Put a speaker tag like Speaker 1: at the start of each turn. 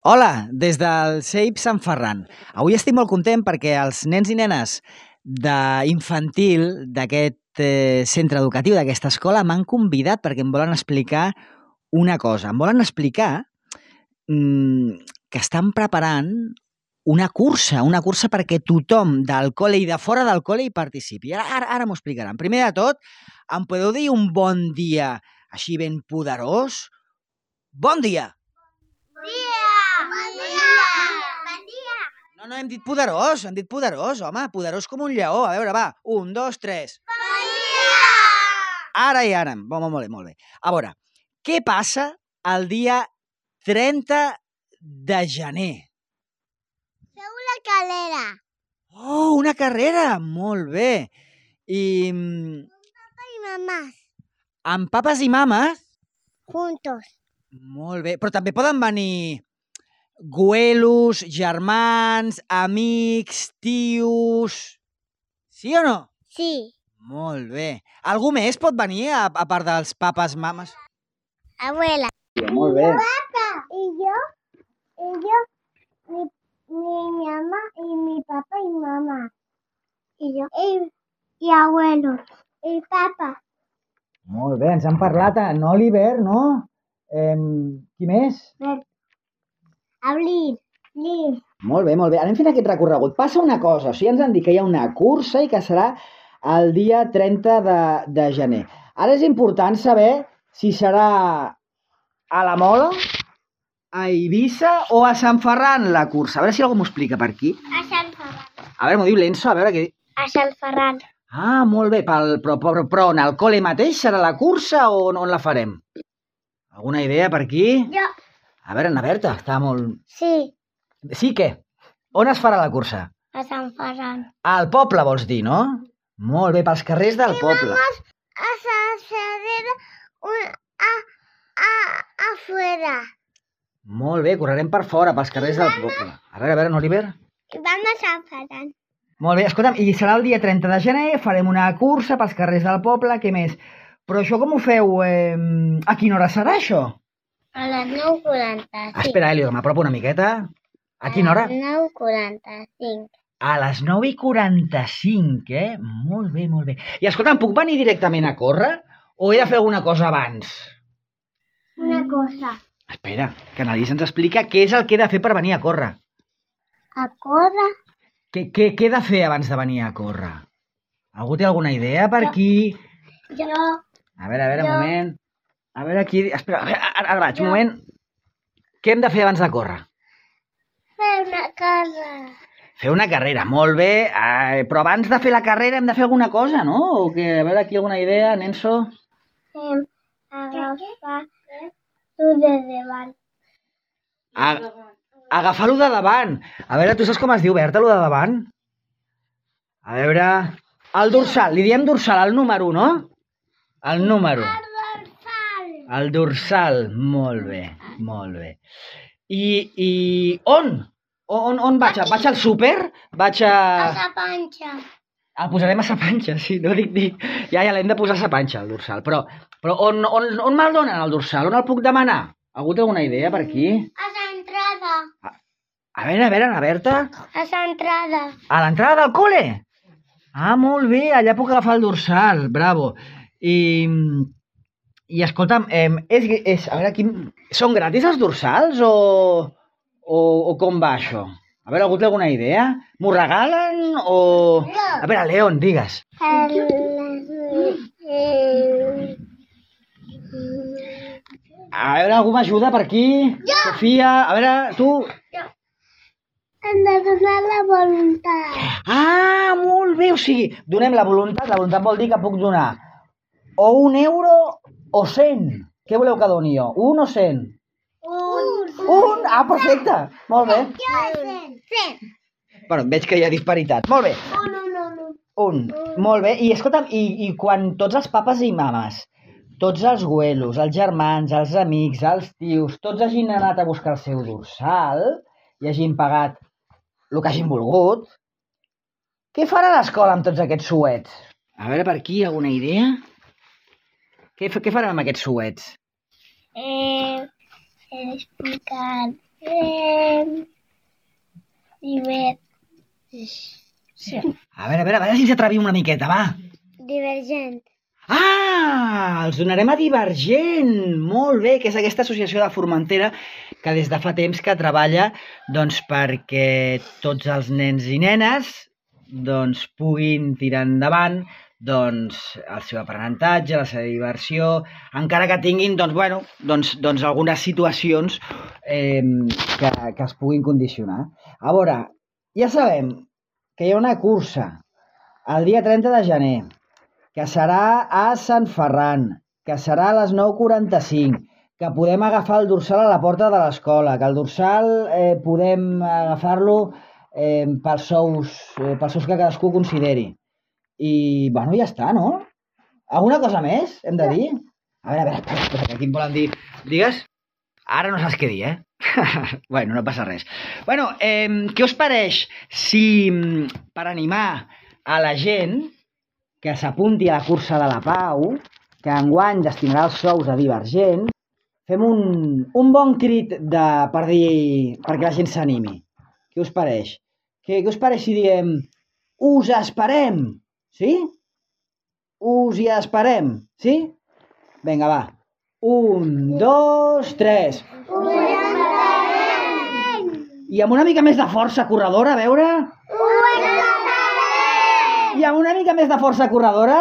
Speaker 1: Hola, des del CEIP Sant Ferran. Avui estic molt content perquè els nens i nenes d'infantil d'aquest centre educatiu, d'aquesta escola, m'han convidat perquè em volen explicar una cosa. Em volen explicar que estan preparant una cursa perquè tothom del col·le i de fora del col·le hi participi. Ara m'ho explicaran. Primer de tot, em podeu dir un bon dia així ben poderós? Bon dia! No, hem dit poderós, home, poderós com un lleó. A veure, va, 1, 2, 3.
Speaker 2: Bon dia!
Speaker 1: Ara. Molt bé. A veure, què passa el dia 30 de gener?
Speaker 2: Feu una carrera.
Speaker 1: Oh, una carrera! Molt bé. I...
Speaker 2: Papa i mamà.
Speaker 1: Amb papes i mames?
Speaker 2: Juntos.
Speaker 1: Molt bé, però també poden venir güelos, germans, amics, tios... Sí o no?
Speaker 2: Sí.
Speaker 1: Molt bé. Algú més pot venir a part dels papes, mames?
Speaker 2: Abuela.
Speaker 1: Molt bé.
Speaker 2: Papa. Y yo, mi mamá y mi papá y mamá. Y yo. Y abuelo. Y papá.
Speaker 1: Molt bé, ens han parlat en Oliver, no? Qui més?
Speaker 2: Abril.
Speaker 1: Molt bé. Anem fent aquest recorregut. Passa una cosa, o sigui, ens han dit que hi ha una cursa i que serà el dia 30 de gener. Ara és important saber si serà a la Mola, a Eivissa o a Sant Ferran la cursa. A veure si algú m'ho explica per aquí.
Speaker 2: A Sant Ferran.
Speaker 1: A veure, m'ho diu l'Enzo, a veure què...
Speaker 2: A Sant Ferran.
Speaker 1: Ah, molt bé, però en el col·le mateix serà la cursa o on la farem? Alguna idea per aquí?
Speaker 2: Jo.
Speaker 1: A veure, Ana Berta, està molt...
Speaker 2: Sí.
Speaker 1: Sí, què? On es farà la cursa?
Speaker 2: A Sant Ferran.
Speaker 1: Al poble, vols dir, no? Molt bé, pels carrers del poble.
Speaker 2: A Sant Ferran afuera.
Speaker 1: Molt bé, correrem per fora, pels carrers del poble. A veure, Oliver.
Speaker 2: Vam a Sant Ferran.
Speaker 1: Molt bé, escolta'm, i serà el dia 30 de gener, farem una cursa pels carrers del poble, què més? Però això com ho feu? A quina hora serà això?
Speaker 2: A les 9:45.
Speaker 1: Espera, Elio, m'apropo una miqueta. A quina hora?
Speaker 2: A les 9:45.
Speaker 1: A les 9:45, Molt bé. I escolta'm, puc venir directament a córrer o he de fer alguna cosa abans?
Speaker 2: Una cosa.
Speaker 1: Espera, que Annalisa ens explica què és el que he de fer per venir a córrer.
Speaker 2: A córrer?
Speaker 1: Què he de fer abans de venir a córrer? Algú té alguna idea per aquí?
Speaker 2: Jo.
Speaker 1: A veure, un moment. A veure aquí... Espera, ara vaig, un moment. Què hem de fer abans de córrer?
Speaker 2: Fer una carrera.
Speaker 1: Fer una carrera, molt bé. Però abans de fer la carrera hem de fer alguna cosa, no? O que, a veure, aquí alguna idea, Nenso?
Speaker 2: Agafar-ho de davant.
Speaker 1: Agafar-ho de davant. A veure, tu saps com es diu, Berta, lo de davant? A veure... El dorsal, li diem dorsal, el número, no? El número. El dorsal, molt bé. I on? On vaig? Vaig al súper? Vaig a...
Speaker 2: A la panxa.
Speaker 1: El posarem a sa panxa, sí, no dic. Ja l'hem de posar a sa panxa, el dorsal. Però on me'l donen, el dorsal? On el puc demanar? Algú té alguna idea per aquí?
Speaker 2: A l'entrada.
Speaker 1: A veure, Ana Berta.
Speaker 2: A l'entrada.
Speaker 1: A l'entrada del col·le? Ah, molt bé, allà puc agafar el dorsal, bravo. I escolta'm, a veure, aquí, són gratis els dorsals o com va això? A veure, algú té alguna idea? M'ho regalen o...
Speaker 2: No.
Speaker 1: A veure, León, digues. A veure, algú m'ajuda per aquí?
Speaker 2: Jo.
Speaker 1: Sofia, a veure, tu...
Speaker 2: Hem de donar la voluntat.
Speaker 1: Ah, molt bé, o sigui, donem la voluntat vol dir que puc donar o 1 euro o 100. Què voleu que doni jo? 1 o 100? 1? Ah, perfecte, molt bé.
Speaker 2: Jo 100.
Speaker 1: Bueno, veig que hi ha disparitat. Molt bé.
Speaker 2: No.
Speaker 1: 1, molt bé. I escolta'm, i quan tots els papes i mames, tots els güelos, els germans, els amics, els tios, tots hagin anat a buscar el seu dorsal i hagin pagat el que hagin volgut, què farà l'escola amb tots aquests suets? A veure, per aquí, alguna idea? Què farem amb aquests suets?
Speaker 2: Explicar
Speaker 1: A veure si ens atrevim una miqueta, va.
Speaker 2: Divergent.
Speaker 1: Ah, els donarem a Divergent. Molt bé, que és aquesta associació de Formentera que des de fa temps que treballa perquè tots els nens i nenes puguin tirar endavant el seu aprenentatge, la seva diversió, encara que tinguin algunes situacions que es puguin condicionar. A veure, ja sabem que hi ha una cursa el dia 30 de gener, que serà a Sant Ferran, que serà a les 9:45, que podem agafar el dorsal a la porta de l'escola, que el dorsal podem agafar-lo pels sous que cadascú consideri. I, bueno, ja està, no? Alguna cosa més hem de dir? A veure, espera, que aquí em volen dir. Digues? Ara no saps què dir, Bueno, no passa res. Bueno, què us pareix si, per animar a la gent que s'apunti a la cursa de la Pau, que enguany destinarà els sous a Divergent, fem un bon crit perquè la gent s'animi. Què us pareix? Què us pareix si diem us esperem? Sí? Us hi esperem, sí? Vinga, va. 1, 2, 3.
Speaker 2: Us esperem!
Speaker 1: I amb una mica més de força corredora, a veure?
Speaker 2: Us esperem!
Speaker 1: I amb una mica més de força corredora?